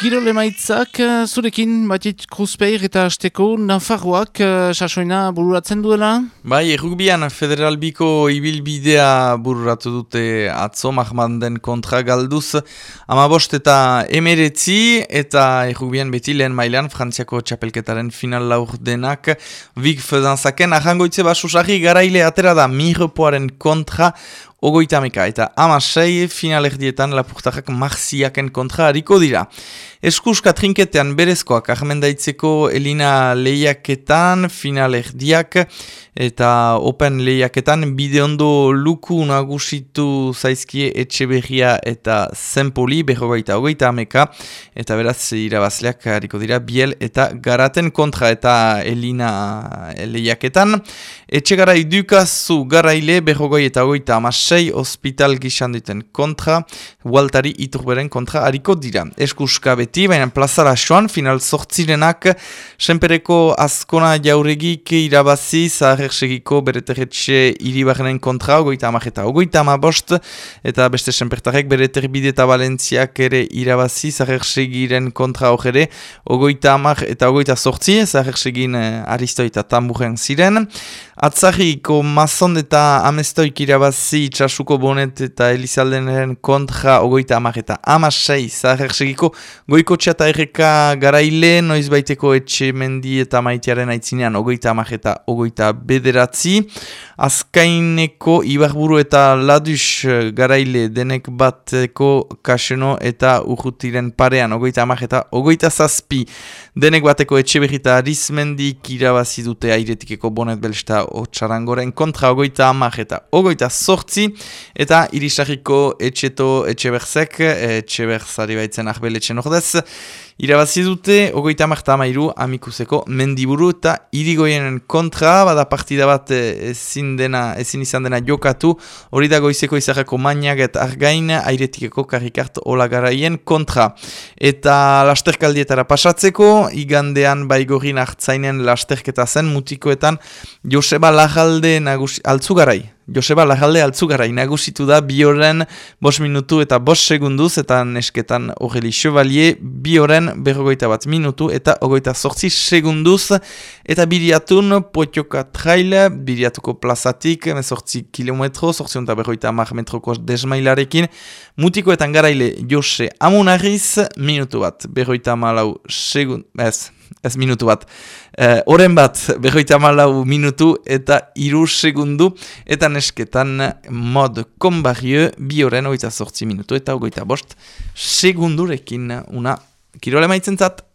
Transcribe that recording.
Kirol emaitzak zurekin Batit Kruzpeir eta Asteko Nafarroak sasoina bururatzen duela? Bai, errugbian Federal Biko ibilbidea bururatu dute atzo Mahmanden kontra galduz 15 eta 19 eta errugbian beti lehen mailan Frantziako txapelketaren final laurdenak Vig Fedanzaken ahangoitze basusarri garaile atera da Mirepoaren kontra Ogoitameka eta 16 finalerdietan lapurtarrak Marziaken kontra hariko dira. Eskuska trinketean berezkoak ahmendaitzeko Elina lehiaketan finalerdiak eta Open lehiaketan bideondo luku nagusitu zaizkie Etxeberria eta Zenpoli berrogeita ameka eta beraz irabazleak hariko dira Biel eta Garaten kontra eta Elina lehiaketan. Etxegarai dukazu garaile berrogeita amasei hospital gizan duten kontra, Waltari Iturberen kontra hariko dira. Eskuska beti, baina plazara joan, final sortzirenak, senpereko Azkona Jauregik irabazi, Zaharersegiko Bereterretxe Iribarren kontra, 30 eta 35, eta beste senpertarek Bereterbide eta Valentziak ere irabazi, Zaharersegiren kontra hogere, 30 eta 28, Zaharersegin Aristoi eta Tamburen ziren. Atzarriko Mazon eta Amestoik irabazi Itxasuko Bonet eta Elizaldenen kontra 30 eta 16 Zaharersegiko Goikotxe eta Erreka garaile noiz baiteko Etxemendi eta Maitearen aitzinean 30 eta 29. Azkaineko Ibarburu eta Ladus garaile denek bateko Kaseno eta Urrutiren parean 30 eta 27. Denek bateko Etxeberri eta Arizmendik irabazi dute Airetikeko Bonet Belsta Otsarangoren kontra 30 eta 28 eta Irisarriko Etxeto Etxeberzek, Etxeberzari baitzen ahbeletxen ordez, irabazi dute 30 Amikuseko Mendiburu eta Irigoienen kontra, bada partida bat ezin izan dena jokatu, hori da goizeko izarrako Maniak eta Argain, Airetikeko Karikart Olagaraien kontra. Eta lasterkaldietara pasatzeko, igandean Baigorin Artzainen lasterketa zen, mutikoetan Joseba Lajalde altzugarai. Joseba Lajalde altzugarai nagusitu da bioren 5 minutu eta 5 segunduz eta nesketan Aureli Chevalier bioren 41 minutu eta 28 segunduz eta biriatun Potioka Trail, biriatuko plazatik 18 kilometro, 850 metroko desmailarekin, mutikoetan garaile Jose Amunariz, minutu bat, 44 segund, ez minutu bat, oren bat, 44 minutu eta 3 segundu, eta nesketan mod Combarrieu, bioren 28 minutu eta 25 segundurekin una kirole maitzentzat.